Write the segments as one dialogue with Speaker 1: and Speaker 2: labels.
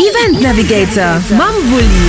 Speaker 1: Event Navigator mam Wulli.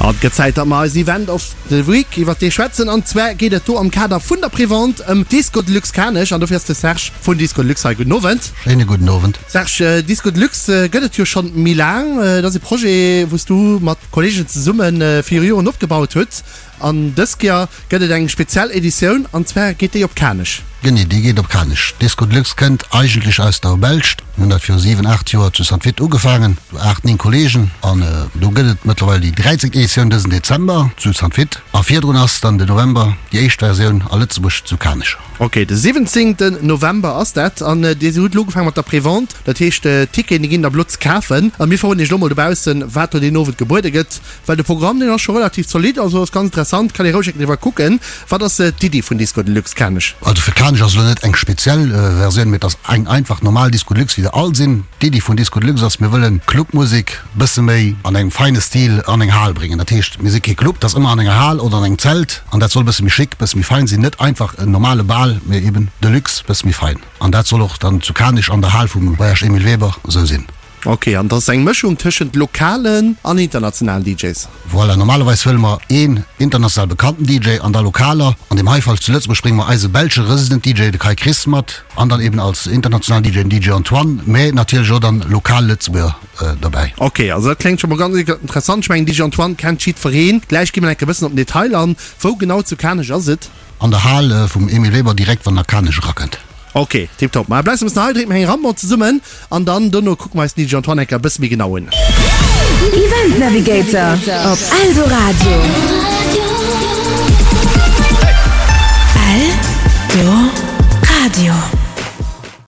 Speaker 2: An et gëtt Zäit, datt mer eisen Event of the Week iwwert dee schwätzen. An zwar geet et do am Kader vun der Prévente ëm Disco Deluxe Kanech. An dofir ass de Serge vun Disco Deluxe hei. Gudden Owend.
Speaker 3: Schéine gudden Owend.
Speaker 2: Serge, Disco Deluxe gëtt et jo schonn méi laang. Et ass e Projet, wou s du mat Kolleegen zesumme viru Joren opgebaut hutt. An dës Kéier gëtt et eng speziell Editioun, an zwar geet déi op Kanech.
Speaker 3: Genee, déi geet op Kanech. Disco Deluxe kënnt eigentlech aus der Belscht. Mir hunn dat viru 7, 8 Joer zu Saint Vith ugefaangen, sou 8, 9 Kolleegen. An do gëtt et mëttlerweil déi 13. Editioun dësen Dezember zu Saint Vith. A virdrun ass dann de November déi éischt Versioun a Lëtzebuerg zu Kanech.
Speaker 2: Ok, de 17. November ass dat. An Dir hutt elo ugefaange mat der Prévente, dat heescht d'Ticketen déi ginn da blo ze kafen. A mir verroden Iech elo mol dobaussen, wat do deen Owend gebuede gëtt. Well de Programm deen ass scho relativ zolidd, also ass ganz interessant, kann ee roueg eng driwwer kucken. Wat ass d'Iddi vun Disco Deluxe Kanech?
Speaker 3: Also fir Kanech ass elo net eng speziell Versioun, mee et ass eng einfach normal Disco Deluxe wéi se all sinn. D'Iddi vun Disco Deluxe ass, mir wëllen Clubmusek bësse méi an engem feine Stil an eng Hal bréngen. Dat heescht, mir si kee Club, et ass ëmmer an enger Hal oder an engem Zelt an dat soll bësse méi chic, bësse méi fein sinn. Net einfach en normale Bal, mee eben Deluxe, bësse méi fein. An dat soll och dann zu Kanech an der Hal vum Voyage Emile Weber esou sinn.
Speaker 2: Ok, an dat ass eng Mëschung tëschent lokalen an internationalen DJs?
Speaker 3: Voilà, normalerweis huele mer een international bekannten DJ an da lokaler. An deem hei Fall zu Lëtzebuerg brénge mer eise belsche Resident DJ, de Kai Chris, mat an dann eben als internationalen DJ den DJ Antoine, mä natierlech och dann lokal Lëtzebuerger dobäi.
Speaker 2: Ok, also dat kléngt scho mol ganz interessant. Ech mengen DJ Antoine kennt jiddwereen. Gläich gi mer enke bëssen op den Detail an. Wou genau zu Kanech ass et?
Speaker 3: An der Hal vum Emile Weber, direkt wann der Kanech erakënnt.
Speaker 2: Ok, tiptop. Ma bleift e bëssen hei, drénke mer eng Rambon zesummen an dann dono kucke mer eis den DJ Antoine enker e bësse méi genau un.
Speaker 1: Event Navigator op Eldoradio. Eldoradio.